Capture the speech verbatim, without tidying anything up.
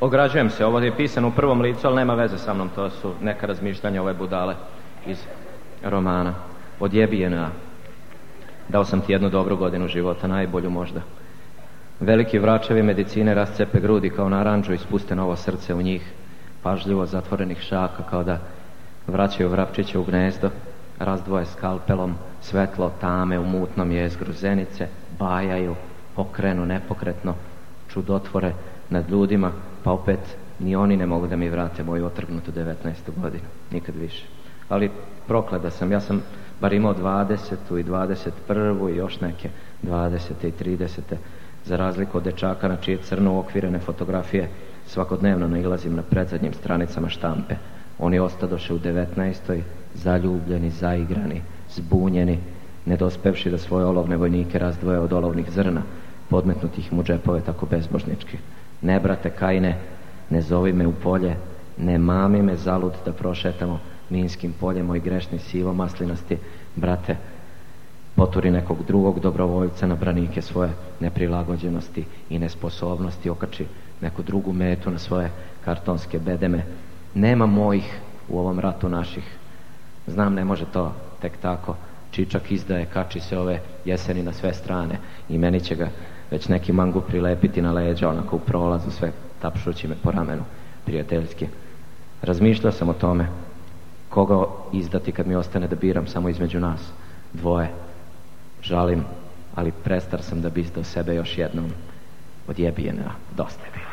Ograđujem se, ovo je pisano u prvom licu, ali nema veze sa mnom, to su neka razmišljanja ove budale iz romana. Odjebijena. Dao sam ti jednu dobru godinu života, najbolju možda. Veliki vračevi medicine rascepe grudi kao naranđu i spuste novo srce u njih, pažljivo zatvorenih šaka kao da vraćaju vrapčiće u gnezdo, razdvoje skalpelom svetlo tame u mutnom jezgru zenice, bajaju, pokrenu nepokretno, čudotvore nad ljudima, pa opet ni oni ne mogu da mi vrate moju otrgnutu devetnaestu godinu, nikad više. Ali proklada sam, ja sam bar imao dvadesetu i dvadeset prvu i još neke dvadesete i tridesete, za razliku od dečaka na čije crno uokvirene fotografije svakodnevno nailazim na predzadnjim stranicama štampe. Oni ostadoše u devetnaestoj, zaljubljeni, zaigrani, zbunjeni, nedospevši da svoje olovne vojnike razdvoje od olovnih zrna, podmetnutih mu džepove tako bezbožnički. Ne, brate Kajine, ne zovi me u polje, ne mami me zalud da prošetamo minskim poljem, moj grešni sivo maslinasti, brate, poturi nekog drugog dobrovoljca na branike svoje neprilagođenosti i nesposobnosti, okači neku drugu metu na svoje kartonske bedeme. Nema mojih u ovom ratu naših. Znam, ne može to tek tako. Čičak izdaje, kači se ove jeseni na sve strane i meni će ga već neki mangu prilepiti na leđa, onako u prolazu, sve tapšući me po ramenu, prijateljski. Razmišljao sam o tome, koga izdati kad mi ostane da biram samo između nas dvoje. Žalim, ali prestar sam da bi izdao sebe još jednom. Odjebijena, dosta je bilo.